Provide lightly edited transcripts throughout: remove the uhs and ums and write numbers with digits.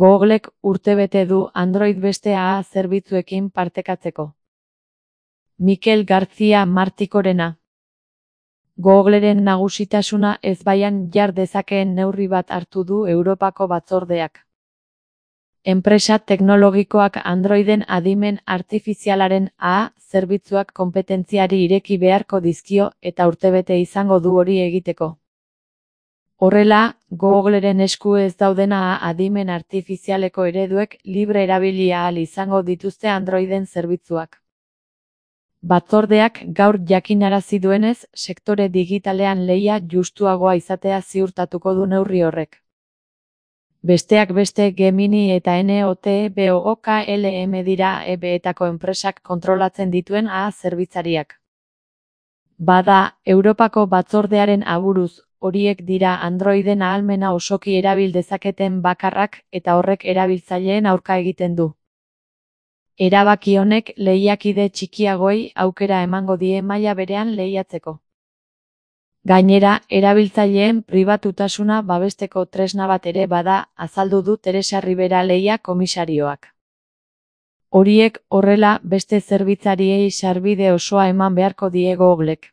Googlek urtebete du Android beste AA zerbitzuekin partekatzeko. Mikel García Martikorena. Googleren nagusitasuna ezbaian jar dezakeen neurri bat hartu du Europako batzordeak. Enpresa teknologikoak Androiden adimen artifizialaren AA zerbitzuak konpetentziari ireki beharko dizkio eta urtebete izango du hori egiteko. Horrela, Googleren esku ez dauden AA adimen artifizialeko ereduek libre erabili ahal izango dituzte Androiden zerbitzuak. Batzordeak gaur jakinarazi duenez, sektore digitalean lehia justuagoa izatea ziurtatuko du neurri horrek. Besteak beste Gemini eta NOTEBOOKLM dira EBetako enpresak kontrolatzen dituen AA zerbitzariak. Bada, Europako batzordearen aburuz, horiek dira Androiden ahalmena osoki erabil dezaketen bakarrak eta horrek erabiltzaileen aurka egiten du. Erabaki honek lehiakide txikiagoei aukera emango die maila berean lehiatzeko. Gainera, erabiltzaileen pribatutasuna babesteko tresna bat ere bada, azaldu du Teresa Ribera lehia komisarioak. Horiek horrela beste zerbitzariei sarbide osoa eman beharko die Googlek.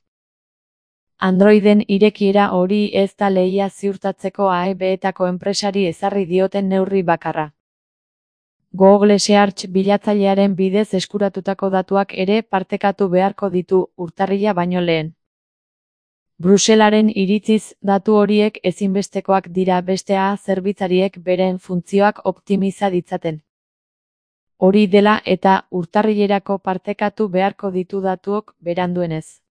Androiden irekiera hori ez da lehia ziurtatzeko EBetako enpresari ezarri dioten neurri bakarra. Google Search bilatzailearen bidez eskuratutako datuak ere partekatu beharko ditu urtarrila baino lehen. Bruselaren iritziz, datu horiek ezinbestekoak dira beste AA zerbitzariek beren funtzioak optimiza ditzaten. Hori dela eta urtarrilerako partekatu beharko ditu datuok beranduenez.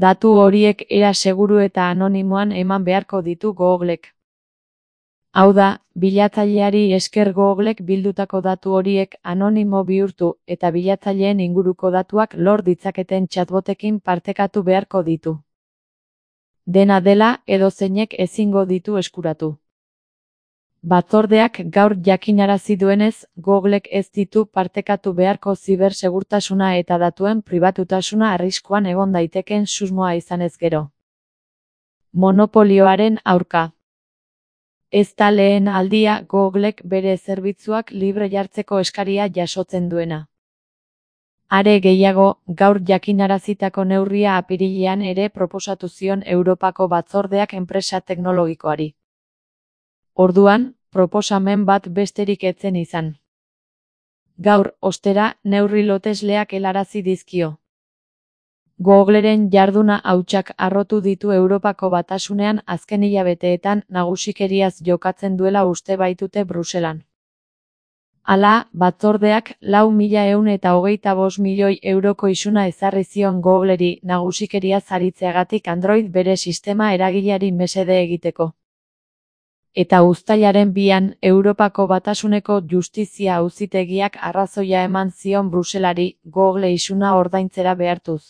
Datu horiek era seguru eta anonimoan eman beharko ditu Googlek. Hau da, bilatzaileari esker Googlek bildutako datu horiek anonimo bihurtu eta bilatzaileen inguruko datuak lor ditzaketen chatbotekin partekatu beharko ditu. Dena dela, edozeinek ezingo ditu eskuratu. Batzordeak gaur jakinarazi duenez, Googlek ez ditu partekatu beharko zibersegurtasuna eta datuen pribatutasuna arriskuan egon daiteken susmoa izanez gero. Monopolioaren aurka. Ez da lehen aldia Googlek bere zerbitzuak libre jartzeko eskaria jasotzen duena. Are gehiago, gaur jakinarazitako neurria apirilean ere proposatu zion Europako batzordeak enpresa teknologikoari. Orduan, proposamen bat besterik ez zen izan. Gaur, ostera, neurri lotesleak helarazi dizkio. Googleren jarduna hautsak harrotu ditu Europako Batasunean azken hilabeteetan nagusikeriaz jokatzen duela uste baitute Bruselan. Hala, batzordeak 4.125 milioi euroko isuna ezarri zion Googleri nagusikeriaz aritzeagatik Android bere sistema eragileari mesede egiteko. Eta uztailaren 2an, Europako Batasuneko Justizia Auzitegiak arrazoia eman zion Bruselari Google isuna ordaintzera behartuz.